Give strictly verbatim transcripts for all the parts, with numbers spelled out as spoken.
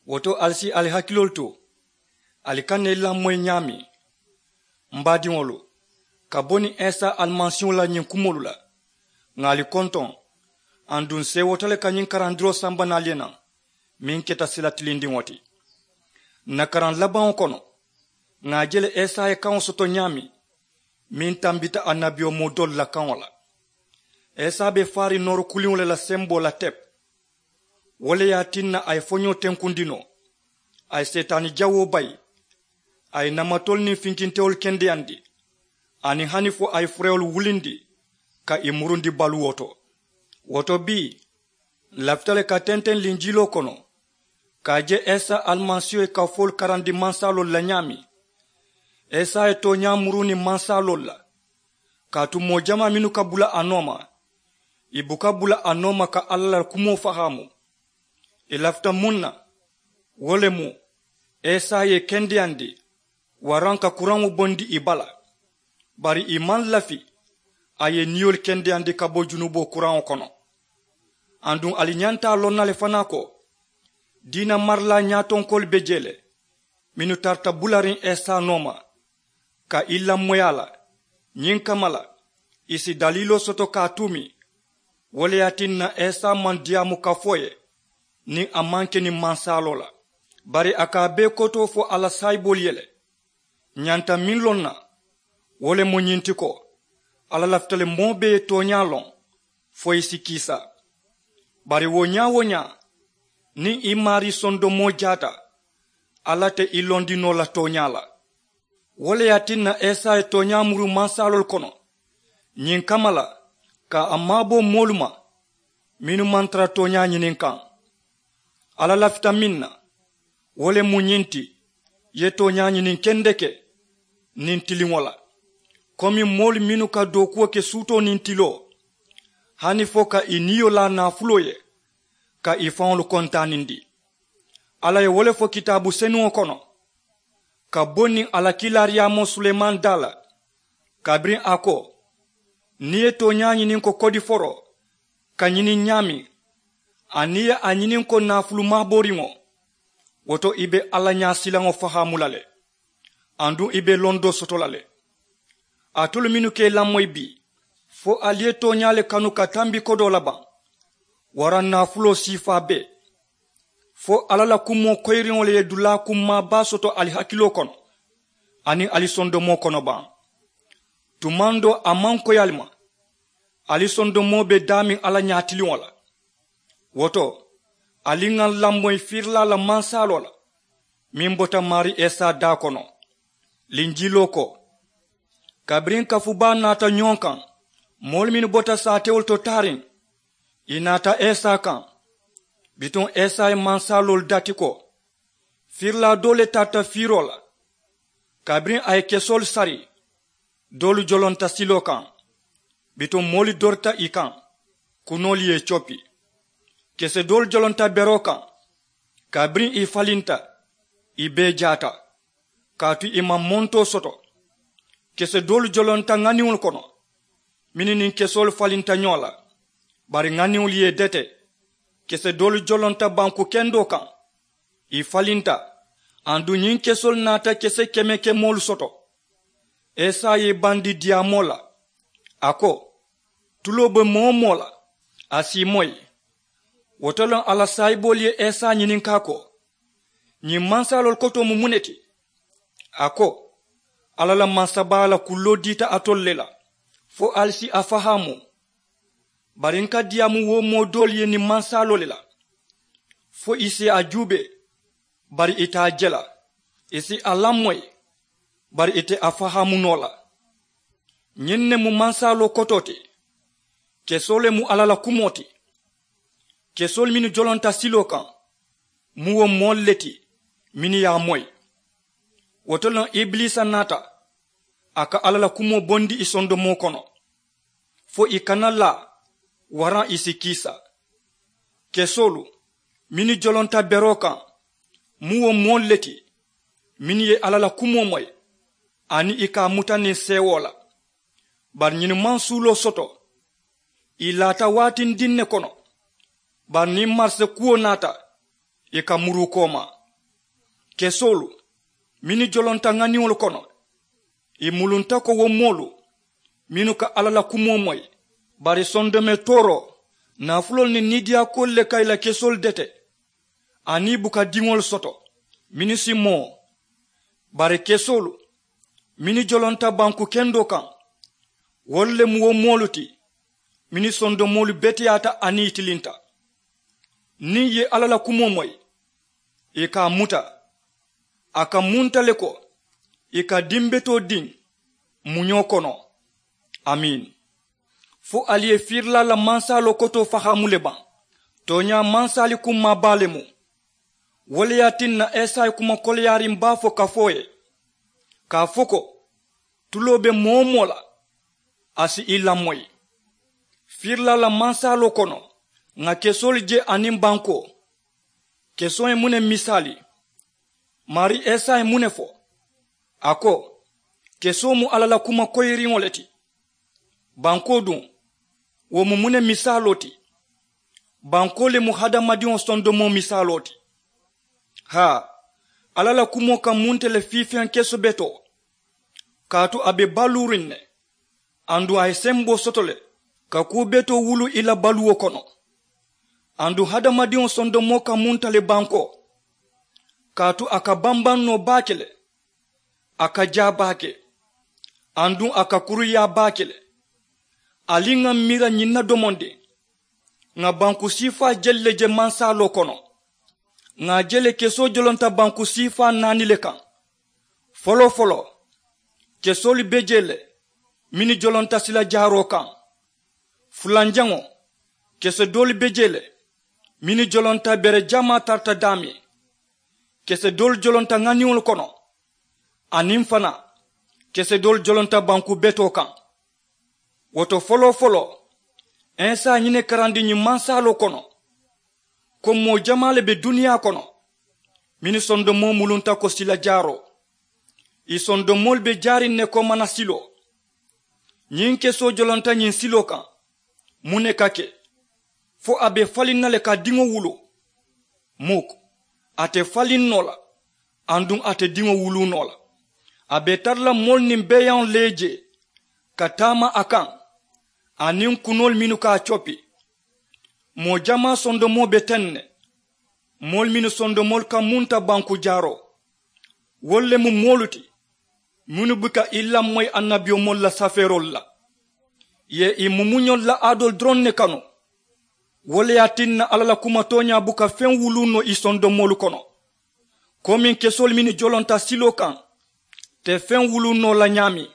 Wo to ali si ali hakiloolu to, ali ka na i lamoyi ñaameŋ, m baadiŋolu, ka bo niŋ isa alimasiiŋo la ñiŋ kumoolu la. Ŋà ali kontoŋ, aduŋ seewota le ka ñiŋ karandiroo samba naali ye naŋ, meŋ keta sila tilindiŋo ti. Ǹ na karaŋ labaŋo kono, ŋà a je le isa ye kaŋo soto ñaameŋ, meŋ tambita annabiyomoo doolu la kaŋo la. Isa be faariŋ nooru kuliŋo le la semboo la tepu. Wo le ye a tinna a ye foñoo tenkundi noo, a ye seetaani jawoo bayi, a ye namatoolu niŋ finkintewolu kendeyandi, aniŋ hani fo a ye furewolu wulindi ka ì murundi baluwo to. Wo to bii, ǹ lafita le ka tenteŋ linjiloo kono, ka a je isa alimasiiho ye kafoolu karandi mansaloolu la ñaameŋ. Isa ye tooñaa muruu niŋ mansaloolu la, kaatu moo jamaa mennu ka bula a nooma, ì buka bula a nooma ka alla la kumoo fahaamu. Ì lafita muŋ na? Wo le mu, isa ye ì kendeyandi waraŋ ka kuraŋo bondi ì bala. Bari ì maŋ lafi a ye ì niyolu kendeyandi ka bo junuboo kuraŋo kono. Aduŋ ali ñanta a loŋ na le fanaa ko, diina marilaa ñaatonkoolu be jee le, mennu tarata bulariŋ isa nooma, ka i lamoyi a la. Ñiŋ kamma la, ì si daliiloo soto ka a tuumi. Wo le ye a tinna isa maŋ diyaamu kafoo ye niŋ a maŋ ke niŋ mansaloo la. Bari a ka a bee kotoo fo a la saayiboolu ye le. Ǹ ñanta meŋ loŋ na, wo le mu ñiŋ ti ko, alla lafita le moo bee ye tooñaa loŋ fo i si kiisa. Bari wo ñaa-wo-ñaa, niŋ i maarii sondomoo jaata, alla te i londi noo la tooñaa la. Wo le ye a tinna isa ye tooñaa muru mansaloolu kono, ñiŋ kamma la, ka a maabo moolu ma mennu maŋ tara tooñaa ñiniŋ kaŋ. Alla lafita meŋ na, wo le mu ñiŋ ti, i ye tooñaa ñiniŋ kendeke niŋ tiliŋo la, komi moolu mennu ka dookuwo ke suutoo niŋ tiloo, hani fo ka ì niyo laa naafuloo ye, ka ì faŋolu kontaanindi. Alla ye wo le fo kitaabu senuŋo kono, ka bo niŋ a la kiilaariyaamoo sulemaani daa la, kabiriŋ a ko, niŋ i ye tooñaa ñiniŋ ko kodiforoo ka ñiniŋ ñaameŋ, aniŋ i ye a ñiniŋ ko naafulu maabooriŋo, wo to i be alla ñaasilaŋo fahaamu la le, aduŋ i be londoo soto la le. Alitolu mennu ka i lamoyi bii, fo ali ye tooñaa le kanu ka tambi kodoo la baŋ, waraŋ naafuloo siifaa bee? Fo alla la kumoo koyiriŋo le ye dulaa kummaa baa soto ali hakiloo kono aniŋ ali sondomoo kono baŋ? Tumaŋ doo a maŋ koyi ali ma, ali sondomoo be daameŋ alla ñaatiliŋo la. Wo to, ali ŋà ǹ lamoyi fiirilaa la mansaloo la, meŋ bota maarii isa daa kono. Linjiloo ko, kabiriŋ kafu baa naata ñoo kaŋ, moolu mennu bota saatewolu to taariŋ, ì naata isa kaŋ. Bituŋ isa ye mansaloolu dati ko, fiirilaa doo le tarata fiiroo la. Kabiriŋ a ye kesoolu sari, doolu jolonta siloo kaŋ, bituŋ moolu dorita ì kaŋ, kunoolu ye ì coppi. Kese doolu jolonta beroo kaŋ, kabiriŋ ì falinta, ì bee jaata, kaatu ì maŋ montoo soto. Kese doolu jolonta ŋaniŋolu kono, mennu niŋ kesoolu falinta ñoo la, bari ŋaniŋolu ye ì dete. Kese doolu jolonta banku kendoo kaŋ, ì falinta, aduŋ ñiŋ kesoolu naata kese keme kemoolu soto. Isa ye i bandi diyaamoo la, a ko, tuloo be moo-wo-moo la, a si i moyi. Wo to le a la saayiboolu ye isa ñininkaa ko, ñiŋ mansaloolu kotoo mu muŋ ne ti? A ko, alla la mansabaaya la kulloo diita alitolu le la, fo ali si a fahaamu. Bari ǹ ka diyaamu wo moo doolu ye niŋ mansaloo le la, fo ì si a juubee, bari ì te a je la, ì si a lamoyi, bari ì te a fahaamu noo la. Ñiŋ ne mu mansaloo kotoo ti. Kesoo le mu alla la kumoo ti. Kesoolu mennu jolonta siloo kaŋ, mu wo moolu le ti mennu ye a moyi. Wo to le ibiliisa naata, a ka alla la kumoo bondi ì sondomoo kono, fo ì kana laa, waraŋ ì si kiisa. Kesoolu mennu jolonta beroo kaŋ, mu wo moolu le ti mennu ye alla la kumoo moyi, aniŋ ì ka a muta niŋ seewoo la. Bari ñiŋ maŋ suuloo soto, ì laata waatindiŋ ne kono. Bari niŋ marise kuwo naata, ì ka muruu koomaa. Kesoolu mennu jolonta ŋaniŋolu kono, ì mulunta ko wo moolu mennu ka alla la kumoo moyi. Bari sondomee tooroo, naafuloolu niŋ niidiyaakuwolu le ka ì la kesoolu dete, aniŋ ì buka diŋolu soto mennu si moo. Bari kesoolu mennu jolonta banku kendoo kaŋ, wolu le mu wo moolu ti mennu sondomoolu beteyaata aniŋ ì tilinta. Niŋ ì ye alla la kumoo moyi, ì ka a muta, a ka munta le ko ì ka dimbetoo diŋ muñoo kono. Amiin. Fo ali ye fiirilaa la mansaaloo kotoo fahaamu le baŋ? Tooñaa mansaali kummaa baa le mu. Wo le ye a tinna esayi kuma koleyaariŋ baa fo ka fo ì ye, ka a fo ko, tuloo be moo-wo-moo la, a si ì lamoyi. Fiirilaa la mansaaloo kono, ŋà kesoolu je aniŋ bankoo. Kesoo ye muŋ ne misaali? Maarii isa ye muŋ ne fo? A ko, kesoo mu alla la kuma koyiriŋo le ti. Bankoo duŋ, wo mu muŋ ne misaaloo ti? Bankoo le mu hadamadiŋo sondomoo misaaloo ti. Haa, alla la kumoo ka munta le fiifeŋ keso betoo. Kaatu a be baluuriŋ ne, aduŋ a ye semboo soto le ka kuu betoo wuluu ì la baluwo kono. Aduŋ hadamadiŋo sondomoo ka munta le bankoo, kaatu a ka bambaŋ noo baake le, a ka jaa baake, aduŋ a ka kuruyaa baake le. Ali ŋà miira ñiŋ na domondiŋ. Ŋà banku siifaa jelu le je mansaaloo kono. Ŋà a je le kesoo jolonta banku siifaa naani le kaŋ. Foloo-foloo, kesoolu be jee le mennu jolonta sila jaaroo kaŋ. Fulanjaŋo, kese doolu be jee le mennu jolonta bere jamaa tarata daameŋ. Kese doolu jolonta ŋaniŋolu kono, aniŋ fanaa kese doolu jolonta banku betoo kaŋ. Wo to, foloo-foloo, isa ye ñiŋ ne karandi ñiŋ mansaaloo kono, ko moo jamaa le be duniyaa kono mennu sondomoo mulunta ko sila jaaroo. Ì sondomoolu be jaariŋ ne ko mana siloo. Ñiŋ kesoo jolonta ñiŋ siloo kaŋ. Muŋ ne ka ke? Fo a be faliŋ na le ka diŋo wuluu? Muk, a te faliŋ noo la, aduŋ a te diŋo wuluu noo la. A be tara la moolu niŋ beeyaŋolu le ye jee ka taama a kaŋ, aniŋ kunoolu mennu ka a coppi. Moo jamaa sondomoo be teŋ ne, moolu mennu sondomoolu ka munta banku jaaroo. Wolu le mu moolu ti mennu buka ì lamoyi annabiyomoolu la safeeroolu la. Ì ye ì mumuñolu la aadoolu doroŋ ne kanu. Wo le ye a tinna alla la kuma tooñaa buka feŋ wuluu noo ì sondomoolu kono, komiŋ kesoolu mennu jolonta siloo kaŋ te feŋ wuluu noo la ñaameŋ.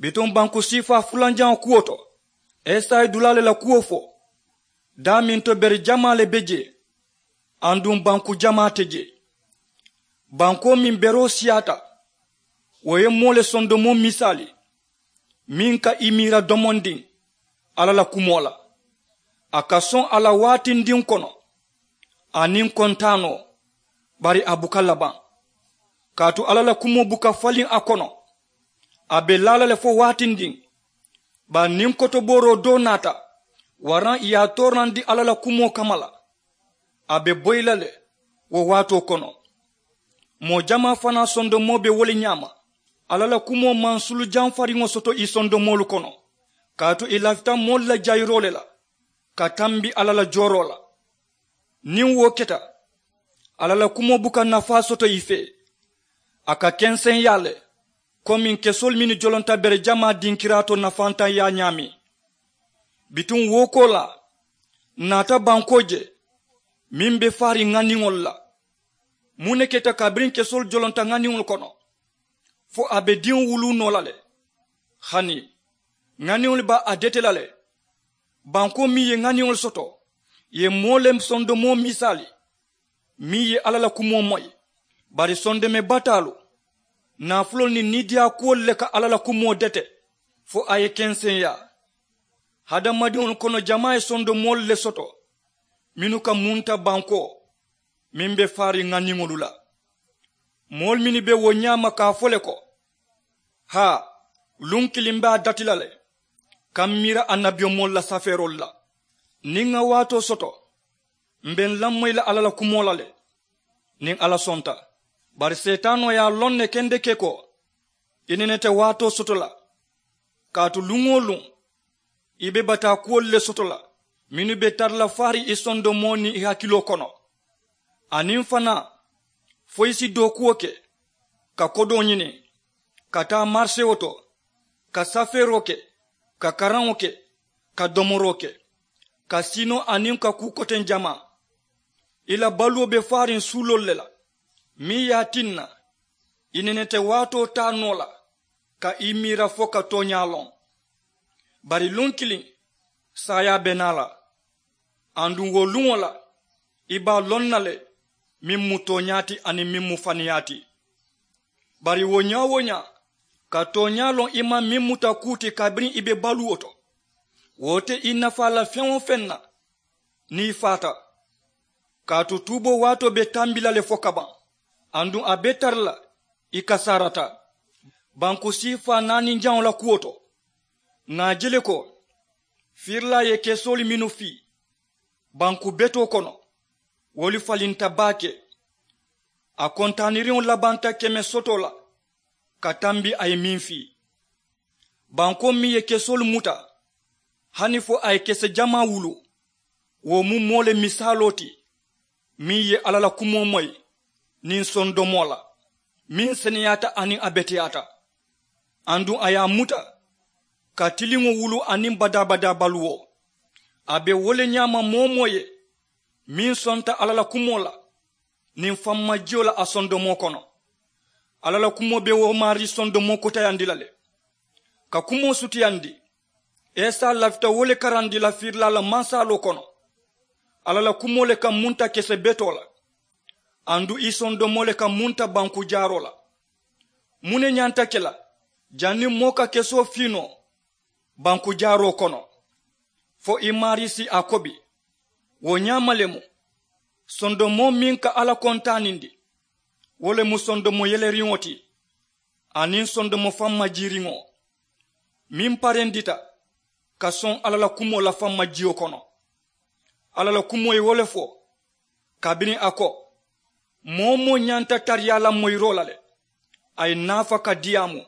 Bituŋ banku siifaa fulanjaŋo kuwo to, isa ye dulaa le la kuwo fo. Daameŋ to bere jamaa le be jee, aduŋ banku jamaa te jee. Bankoo meŋ beroo siyaata, wo ye moo le sondomoo misaali, meŋ ka ì miira domondiŋ alla la kumoo la. A ka soŋ a la waatindiŋ kono, aniŋ kontaanoo, bari a buka labaŋ. Kaatu alla la kumoo buka faliŋ a kono, a be laa la le fo waatindiŋ. Bari niŋ kotobooroo doo naata, waraŋ ì ye a toorandi alla la kumoo kamma la, a be boyi la le wo waatoo kono. Moo jamaa fanaa sondomoo be wo le ñaama. Alla la kumoo maŋ sulu jamfariŋo soto ì sondomoolu kono, kaatu ì lafita moolu la jayiroo le la ka tambi alla la jooroo la. Niŋ wo keta, alla la kumoo buka nafaa soto ì fee. A ka kenseŋyaa le, komiŋ kesoolu mennu jolonta bere jamaa dinkiraa to nafantaŋyaa ñaameŋ. Bituŋ wo koolaa, ǹ naata bankoo je meŋ be faariŋ ŋaniŋolu la. Muŋ ne keta kabiriŋ kesoolu jolonta ŋaniŋolu kono, fo a be diŋo wuluu noo la le? Hani, ŋaniŋolu be a dete la le. Bankoo meŋ ye ŋaniŋolu soto, ì ye moo le sondomoo misaali, meŋ ye alla la kumoo moyi. Bari sondomee bataalu, naafuloolu niŋ niidiyaakuwolu le ka alla la kumoo dete fo a ye kenseŋyaa. Hadamadiŋolu kono jamaa ye sondomoolu le soto mennu ka munta bankoo meŋ be faariŋ ŋaniŋolu la. Moolu mennu be wo ñaama ka a fo le ko, haa, luŋ kiliŋ be a dati la le ka m miira annabiyomoolu la safeeroolu la. Niŋ ŋa waatoo soto, M be n lamoyi la alla la kumoo la le. Niŋ alla sonta, bari seetaanoo ye a loŋ ne kendeke ko i nene te waatoo soto la. Kaatu luŋ-wo-luŋ i be bataa kuwolu le soto la mennu be tara la faariŋ i sondomoo niŋ i hakiloo kono. Aniŋ fanaa fo i si dookuwo ke, ka kodoo ñini, ka taa marisewo to, ka safeeroo ke, ka karaŋo ke, ka domoroo ke, ka siinoo aniŋ ka kuu koteŋ jamaa. I la baluwo be faariŋ suuloolu le la, meŋ ye a tinna i nene te waatoo taa noo la ka i miira fo ka tooñaa loŋ. Bari luŋ kiliŋ saayaa be naa la, aduŋ wo luŋo la i be a loŋ na le meŋ mu tooñaa ti aniŋ meŋ mu faniyaa ti. Bari wo ñaa-wo-ñaa ka tooñaa loŋ i maŋ meŋ muta kuu ti kabiriŋ i be baluwo to, wo te i nafaa la feŋ-wo-feŋ na. Niŋ i faata, kaatu tuuboo waatoo be tambi la le fo kabaŋ, aduŋ a be tara la i kasaarata banku siifaa naani jaŋo la kuwo to. Ŋà a je le ko fiirilaa ye kesoolu mennu fii banku betoo kono, wolu falinta baake. A kontaaniriŋo labanta keme sotoo la ka tambi a ye meŋ fii. Bankoo meŋ ye kesoolu muta hani fo a ye kese jamaa wuluu, wo mu moo le misaaloo ti meŋ ye alla la kumoo moyi niŋ sondomoo la, meŋ seneyaata aniŋ a beteyaata. Aduŋ a ye a muta ka tiliŋo wuluu aniŋ badaa-badaa baluwo. A be wo le ñaama moo-wo-moo ye meŋ sonta alla la kumoo la niŋ fammajiyo la a sondomoo kono. Alla la kumoo be wo maarii sondomoo kutayandi la le. Ka kumoo sutiyandi, esa lafita wo le karandi la fiirilaa la mansaaloo kono. Alla la kumoo le ka munta kese betoo la, aduŋ i sondomoo le ka munta banku jaaroo la. Muŋ ne ñanta ke la janniŋ moo ka kesoo fii noo banku jaaroo kono fo i maarii si a kobi? Wo ñaama le mu sondomoo meŋ ka alla kontaanindi, wo le mu sondomo yeleriŋo ti aniŋ sondomo fammajiiriŋo meŋ parendita ka soŋ alla la kumoo la fammajiyo kono. Alla la kumoo ye wo le fo kabiriŋ a ko, moo-wo-moo ñanta tariyaa la moyiroo la le, a ye naafa ka diyaamu.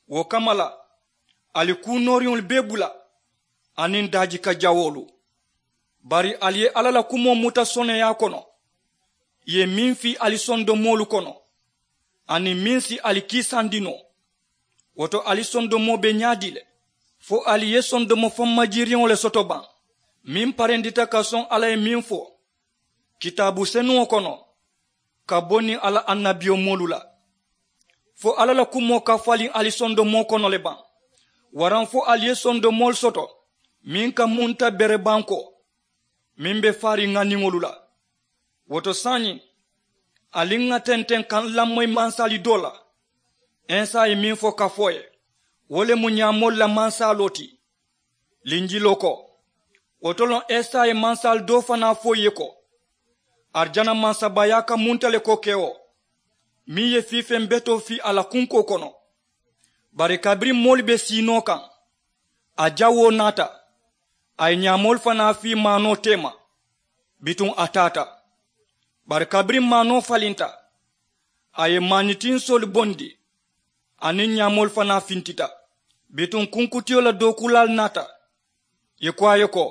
Wo kamma la, ali kuu nooriŋolu bee bula aniŋ daajika jawoolu. Bari ali ye alla la kumoo muta soneyaa kono, ì ye meŋ fii ali sondomoolu kono aniŋ meŋ si ali kiisandi noo. Wo to ali sondomoo be ñaadii le? Fo ali ye sondomo fammajiiriŋo le soto baŋ meŋ parendita ka soŋ alla ye meŋ fo kitaabu senuŋo kono ka bo niŋ a la annabiyomoolu la? Fo alla la kumoo ka faliŋ ali sondomoo kono le baŋ? Waraŋ fo ali ye sondomoolu soto meŋ ka munta berebankoo meŋ be faariŋ ŋaniŋolu la? Wo to saayiŋ, ali ŋà tenteŋ ka n lamoyi mansaali doo la. Esa ye meŋ fo ka fo ì ye, wo le mu ñaamoolu la mansaaloo ti. Linjiloo ko, wo to loŋ esa ye mansaali doo fanaa fo ì ye ko, arijana mansabaayaa ka munta le ko kewo meŋ ye fiifeŋ betoo fii a la kunkoo kono. Bari kabiriŋ moolu be sii noo kaŋ, a jawoo naata, a ye ñaamoolu fanaa fii maanoo teema. Bituŋ a taata. Bari kabiriŋ maanoo falinta, a ye maanitinsoolu bondi aniŋ ñaamoolu fanaa fintita. Bituŋ kunkutiyo la dookuulaalu naata, ì ko a ye ko,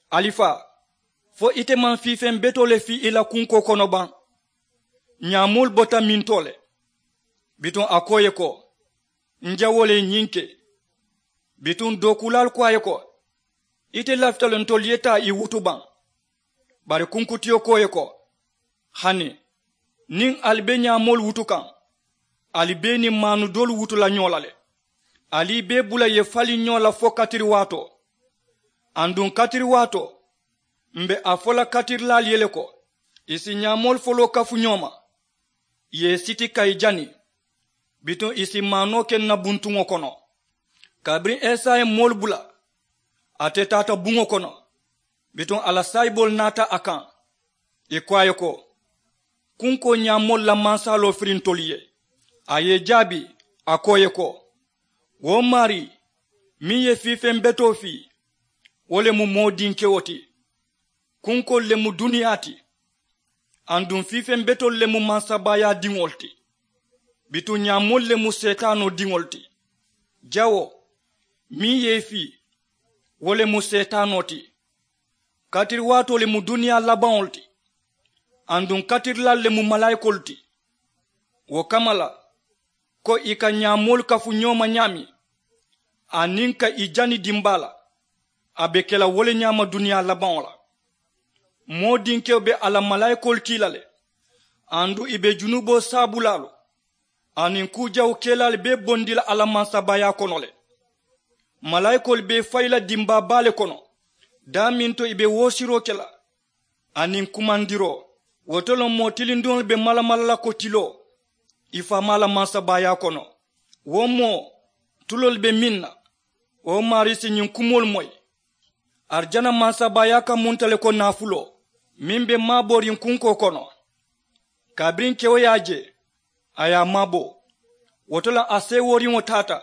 alifaa, fo ite maŋ fiifeŋ betoo le fii i la kunkoo kono baŋ? Ñaamoolu bota mintoo le? Bituŋ a ko ì ye ko, n jawoo le ye ñiŋ ke. Bituŋ dookuulaalu ko a ye ko, ite lafita le ntolu ye taa ì wutu baŋ? Bari kunkutiyo ko ì ye ko, hani niŋ ali be ñaamoolu wutu kaŋ, ali be i niŋ maanu doolu wutu la ñoo la le. Ali i bee bula ì ye faliŋ ñoo la fo katiri waatoo. Aduŋ katiri waatoo, m̀ be a fo la katirilaalu ye le ko, ì si ñaamoolu foloo kafu ñoo ma, ì ye ì siti ka ì jani. Bituŋ ì si maanoo ke ǹ na buntuŋo kono. Kabiriŋ esa ye moolu bula, ate taata buŋo kono. Bituŋ a la saayiboolu naata a kaŋ, ì ko a ye ko, kunkoo ñaamoolu la mansaaloo firi ntolu ye? A ye ì jaabi, a ko ì ye ko, wo maarii, meŋ ye fiifeŋ betoo fii, wo le mu moo dinkewo ti. Kunkoolu le mu duniyaa ti. Aduŋ fii feŋ betoolu le mu mansabaayaa diŋolu ti. Bituŋ ñaamoolu le mu seetaanoo diŋolu ti. Jawo meŋ ye i fii, wo le mu seetaanoo ti. Katiri waatoo le mu duniyaa labaŋolu ti. Aduŋ katirilaalu le mu malaayikoolu ti. Wo kamma la, ko ì ka ñaamoolu kafu ñoo ma ñaameŋ, aniŋ ka ì jani dimbaa la, a be ke la wo le ñaama duniyaa labaŋo la. Moo dinkewo be a la malaayikoolu kii la le. Aduŋ ì be junuboo saabulaalu aniŋ kuu jawu kelaalu bee bondi la a la mansabaayaa kono le. Malaayikoolu be ì fayi la dimbaa baa le kono, daameŋ to ì be woosiroo ke la aniŋ kumandiroo. Wo to le moo tilindiŋolu be malamala la ko tiloo ì faamaa la mansabaayaa kono. Wo moo, tuloolu be meŋ na, wo maarii si ñiŋ kumoolu moyi. Arijana mansabaayaa ka munta le ko naafuloo meŋ be maabooriŋ kunkoo kono. Kabiriŋ kewo ye a je, a ye a maabo. Wo to le a seewooriŋo taata,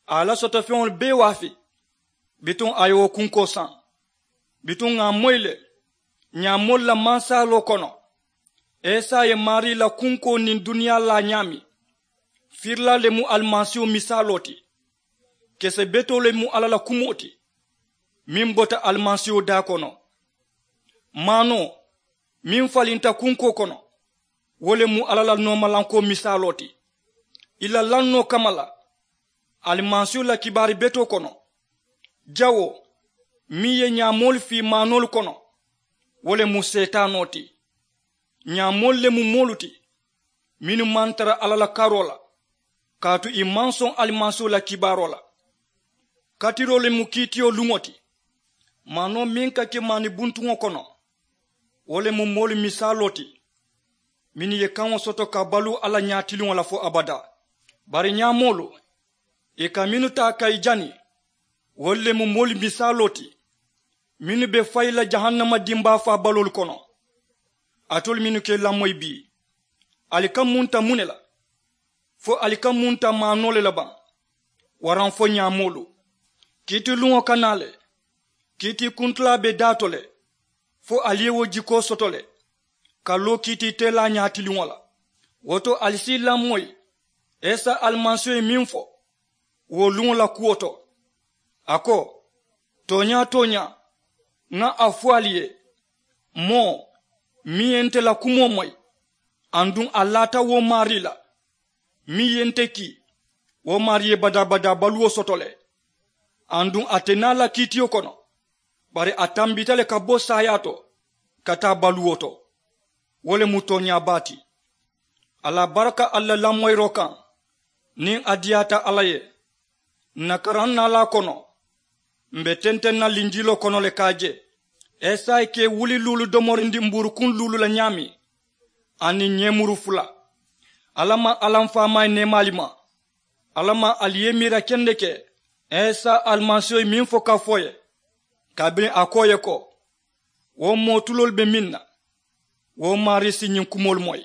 a ye a la sotofeŋolu bee waafi. Bituŋ a ye wo kunkoo saŋ. Bituŋ ŋà a moyi le, ñaamoolu la mansaaloo kono, esa ye maarii la kunkoo niŋ duniyaa laa ñaameŋ. Firilaa le mu alimasiihu misaaloo ti. Kese betoo le mu alla la kumoo ti, meŋ bota alimasiihu daa kono. Maanoo meŋ falinta kunkoo kono, wo le mu alla la noomalankoo misaaloo ti. Ì la lannoo kamma la, alimasiihu la kibaari betoo kono, jawoo meŋ ye ñaamoolu fii maanoolu kono, wo le mu seetaanoo ti. Ñaamoolu le mu moolu ti, mennu maŋ tara alla la karoo la, kaatu ì maŋ soŋ alimasiihu la kibaaroo la. Katiroo le mu kiitiyo luŋo ti. Maanoo meŋ ka ke maani buntuŋo kono, wo le mu moolu misaaloo ti, mennu ye kaŋo soto ka baluu alla ñaatiliŋo la fo abadaa. Bari ñaamoolu, ì ka mennu taa ka ì jani, wolu le mu moolu misaaloo ti, mennu be fayi la jahannama dimbaa faabaloolu kono. Alitolu mennu ka ì lamoyi bii, ali ka munta muŋ ne la? Fo ali ka munta maanoo le la baŋ? Waraŋ fo ñaamoolu, kiitiluŋo ka naa le. Kiitii kuntilaa be daa to le, fo ali ye wo jikoo soto le, ka loo kiitii teelaa ñaatiliŋo la. Wo to ali si ì lamoyi, esa alimasiihu ye meŋ fo wo luŋo la kuwo to. A ko, tooñaa tooñaa, ŋa a fo ali ye, moo meŋ ye nte la kumoo moyi, aduŋ a laata wo maarii la meŋ ye nte kii, wo maarii ye badaa badaa baluwo soto le. Aduŋ a te naa la kiitiyo kono, bari a tambita le ka bo saayaa to ka taa baluwo to. Wo le mu tooñaa baa ti. Alla baraka ali la lamoyiroo kaŋ, niŋ a diyaata alla ye. Ǹ na karaŋ naalaa kono, m̀ be tenteŋ na linjiloo kono le ka a je, esayi ka ì wuli luulu domorindi mbuurukuŋ luulu la ñaameŋ, aniŋ ñeemuru fula. Alla maŋ alla m̀ faamaa ye neemaali ma. Alla maŋ ali ye miira kendeke, esa alimasiiho ye meŋ fo ka fo ì ye, kabiriŋ a ko ì ye ko, wo moo tuloolu be meŋ na, wo maarii si ñiŋ kumoolu moyi.